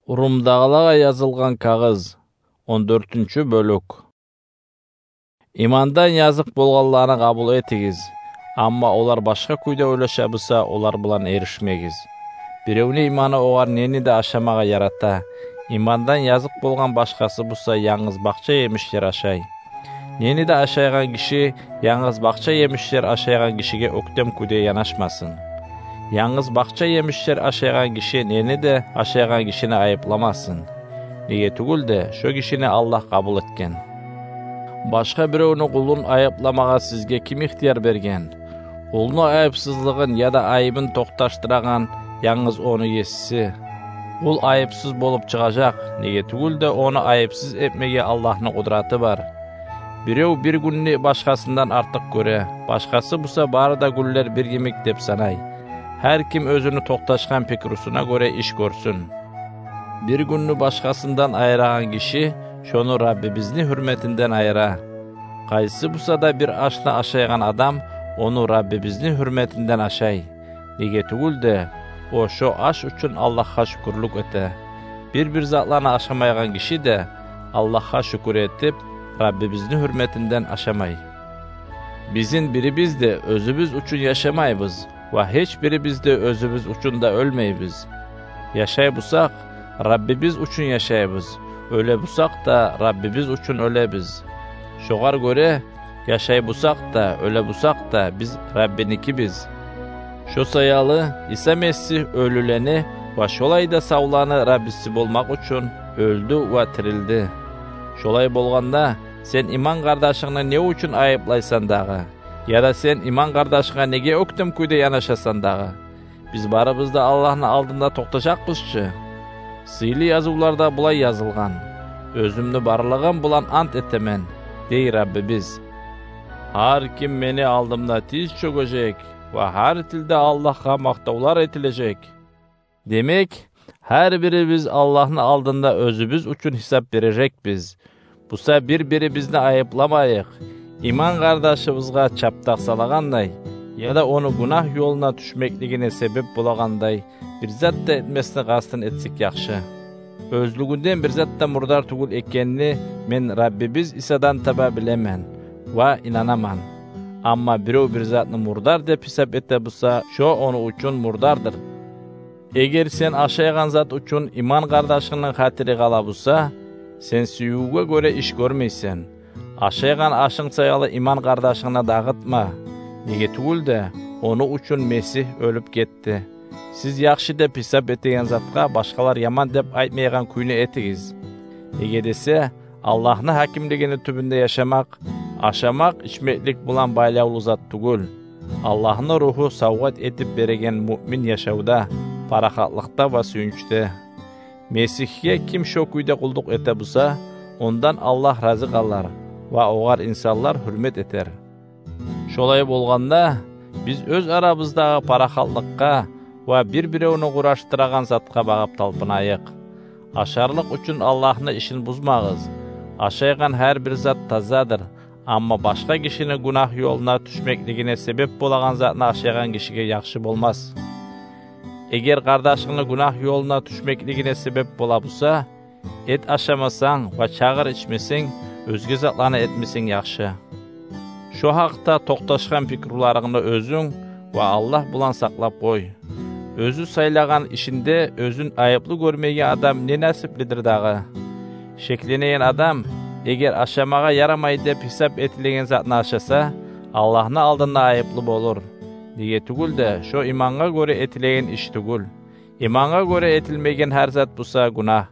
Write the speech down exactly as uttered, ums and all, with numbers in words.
Румдагъылагъа язылгъан кагъыз, он дёртюнчю бёлюк. Имандан языкъ болгъанланы къабул этигиз, амма олар башгъа кюйде ойлаша буса, олар булан эришмегиз. Биревню иманы огъар нени де ашамагъа ярата. Имандан языкъ болгъан башгъасы буса, янгыз бакъча емишлер ашай. Нени де ашайгъан гиши янгыз бакъча емишлер ашайгъан гишиге оьктем кюйде янашмасын. Янгыз бакъча емишлер ашайгъан гиши нени де ашайгъан гишини айыпламасын. Неге тюгюл де, шо гишини Аллагь къабул этген. Башгъа биревню къулун айыпламагъа сизге ким ихтияр берген? Къулну айыпсызлыгъын яда айыбын токъташдырагъан янгыз ону есиси. Къул айыпсыз болуп чыгъажакъ, неге тюгюл де, ону айыпсыз этмеге Аллагьны къудраты бар. Бирев бир гюнню башгъасындан артыкъ гёре, башгъасы буса бары да гюнлер бир йимик деп санай. Гьар ким оьзюню токъташгъан пикрусуна гёре иш гёрсюн. Бир гюнню башгъасындан айырагъан гиши шону Раббибизни гьюрметинден айыра. Къайсы буса да бир ашны ашайгъан адам ону Раббибизни гьюрметинден ашай. Неге тюгюл де, о шо аш учун Аллагьгъа шюкюрлюк эте. Бир-бир затланы ашамайгъан гиши де Аллагьгъа шюкюр этип, Раббибизни гьюрметинден ашамай. Бизин бирибиз де оьзюбюз учун яшамайбыз ва гьеч бирибиз де оьзюбюз учун да оьлмейбиз. Яшай бусакъ, Раббибиз учун яшайбыз, оьле бусакъ да, Раббибиз учун оьлебиз. Шогъар гёре, яшай бусакъ да, оьле бусакъ да, биз Раббиникибиз. Шо саялы Иса Месигь оьлюлени ва шолай да савланы Раббиси болмакъ учун оьлдю ва тирилди. Шолай болгъанда, сен иман къардашынгны не учун айыплайсан дагъы? Яда сен иман къардашынга неге оьктем кюйде янашасан дагъы? Биз барыбыз да Аллагьны алдында токътажакъбыз чы. Сыйлы язывларда булай язылгъан: «Оьзюмню барлыгъым булан ант этемен, – дей Раббибиз, – гьар ким мени алдымда тиз чёгежек ва гьар тилде Аллагьгъа макътавлар этилежек». Демек, гьар бирибиз Аллагьны алдында оьзюбюз учун гьисап бережекбиз. Буса бир-бирибизни айыпламайыкъ, иман къардашыбызгъа чапдакъ салагъандай яда ону гюнагь ёлуна тюшмеклигине себеп болагъандай бир зат да этмесни къастын этсек яхшы. Оьзлюгюнден бир зат да мурдар тюгюл экенни мен Раббибиз Исадан таба билемен ва инанаман. Амма бирев бир затны мурдар деп гьисап эте буса, шо ону учун мурдардыр. Эгер сен ашайгъан зат учун иман къардашынгны хатири къала буса, сен сюювге гёре иш гёрмейсен. Ашайгъан ашынг саялы иман къардашынгны дагъытма. Неге тюгюл де, ону учун Месигь оьлюп гетди. Сиз яхшы деп гьисап этеген затгъа башгъалар яман деп айтмайгъан кюйню этигиз. Неге десе, Аллагьны гьакимлигини тюбюнде яшамакъ ашамакъ-ичмеклик булан байлавлу зат тюгюл. Аллагьны Ругьу савгъат этип береген муъмин яшавда, парахатлыкъда ва сююнчде. Месигьге ким шо кюйде къуллукъ эте буса, ондан Аллагь рази къалар ва огъар инсанлар гьюрмет этер. Шолай болгъанда, биз оьз арабыздагъы парахатлыкъгъа ва бир-биревню къурашдырагъан затгъа багъып талпынайыкъ. Ашарлыкъ учун Аллагьны ишин бузмагъыз. Ашайгъан гьар бир зат тазадыр, амма башгъа гишини гюнагь ёлуна тюшмеклигине себеп болагъан затны ашайгъан гишиге яхшы болмас. Эгер къардашынгны гюнагь ёлуна тюшмеклигине себеп бола буса, эт ашамасанг ва чагъыр ичмесенг, оьзге затланы этмесенг яхшы. Шо гьакъда токъташгъан пикруларынгны оьзюнг ва Аллагь булан сакълап къой. Оьзю сайлагъан ишинде оьзюн айыплы гёрмейген адам не насиплидир дагъы? Шекленеген адам, эгер ашамагъа ярамай деп гьисап этилеген затны ашаса, Аллагьны алдында айыплы болур. Неге тюгюл де, шо имангъа гёре этилеген иш тюгюл. Имангъа гёре этилмеген гьар зат буса гюнагь.